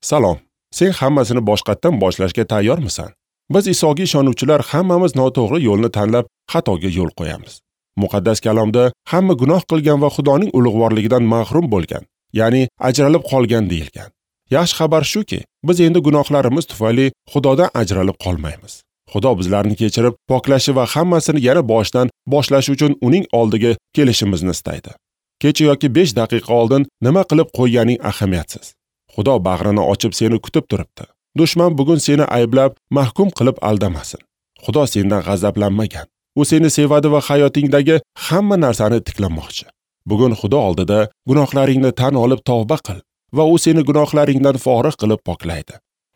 Salom. Sen hammasini boshqatdan boshlashga tayyormisan? Biz Isoga ishonuvchilar hammamiz noto'g'ri yo'lni tanlab xatoga yo'l qo'yamiz. Muqaddas kalomda hamma gunoh qilgan va Xudoning ulug'vorligidan mahrum bo'lgan, ya'ni ajralib qolgan deyilgan. Yaxshi xabar shuki, biz endi gunohlarimiz tufayli Xudodan ajralib qolmaymiz. Xudo bizlarni kechirib, poklashi va hammasini yana boshdan boshlash uchun uning oldiga kelishimizni istaydi. Kecha yoki 5 daqiqa oldin nima qilib qo'yganing ahamiyatsiz. Xudo bag'rini ochib seni kutib turibdi. Dushman bugun seni ayblab, mahkum qilib aldamasin. Xudo sendan g'azablanmagan. U seni sevadi va hayotingdagi hamma narsani tiklamoqchi. Bugun Xudo oldida gunohlaringni tan olib tavba qil va u seni gunohlaringdan forig' qilib poklaydi.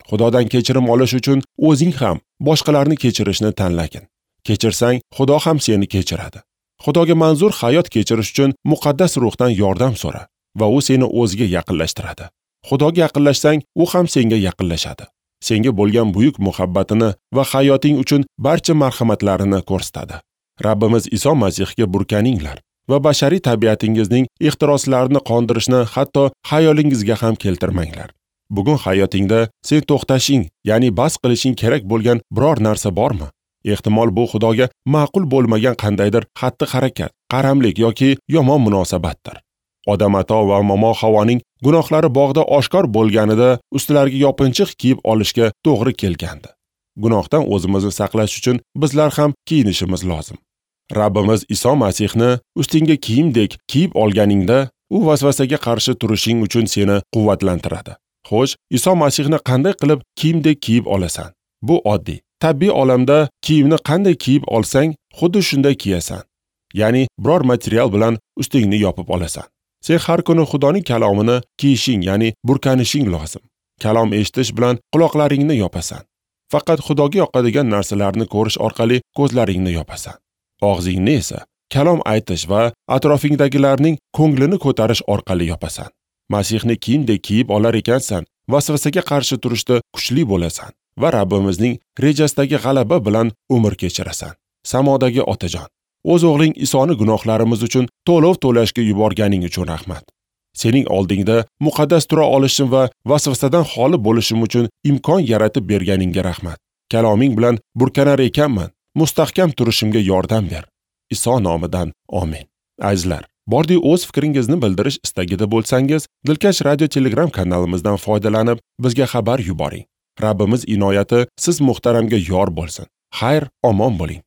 Xudodan kechirim olish uchun o'zing ham boshqalarni kechirishni tanlagin. Kechirsang, Xudo ham seni kechiradi. Xudoga manzur hayot kechirish uchun muqaddas ruhdan yordam so'ra va u seni o'ziga yaqinlashtiradi. Xudoga yaqinlashsang, u ham senga yaqinlashadi. Senga bo'lgan buyuk muhabbatini va hayoting uchun barcha marhamatlarini ko'rsatadi. Rabbimiz Iso Masihga burkaninglar va bashariy tabiatingizning ehtiroslarini qondirishni hatto xayolingizga ham keltirmanglar. Bugun hayotingda sen to'xtashing, ya'ni bas qilishing kerak bo'lgan biror narsa bormi? Ehtimol bu Xudoga ma'qul bo'lmagan qandaydir xatti-harakat, qaramlik yoki yomon munosabatdir. Odam ato va momo Havoning gunohlari bog'da oshkor bo'lganida ustlariga yopinchiq kiyib olishga to'g'ri kelgandi. Gunohdan o'zimizni saqlash uchun bizlar ham kiyinishimiz lozim. Rabbimiz Iso Masihni ustingga kiyimdek kiyib olganingda, u vasvasaga qarshi turishing uchun seni quvvatlantiradi. Xo'sh, Iso Masihni qanday qilib kiyimdek kiyib olasan? Bu oddiy. Tabiiy olamda kiyimni qanday kiyib olsang, xuddi shunday kiyasan. Ya'ni biror material bilan ustingni yopib olasan. Sen har kuni Xudoning kalomini kiyishing, ya'ni burkanishing lozim. Kalom eshitish bilan quloqlaringni yopasan. Faqat Xudoga yoqadigan narsalarni ko'rish orqali ko'zlaringni yopasan. Og'zingni esa kalom aytish va atrofingdagilarning ko'nglini ko'tarish orqali yopasan. Masihni kiyimdek kiyib olar ekansan, vasvasaga qarshi turishda kuchli bo'lasan va Rabbimizning rejasidagi g'alaba bilan umr kechirasan. Samodagi Otajon, o'z o'g'ling Isoni gunohlarimiz uchun to'lov to'lashga yuborganing uchun rahmat. Sening oldingda muqaddas tura olishim va vasvasadan xoli bo'lishim uchun imkon yaratib berganingga rahmat. Kaloming bilan burkanar ekanman, mustahkam turishimga yordam ber. Iso nomidan amin. Azizlar, bordi o'z fikringizni bildirish istagida bo'lsangiz, Dilkash Radio Telegram kanalimizdan foydalanib, bizga xabar yuboring. Rabbimiz inoyati siz muhtaramga yor bo'lsin. Xayr, omon bo'ling.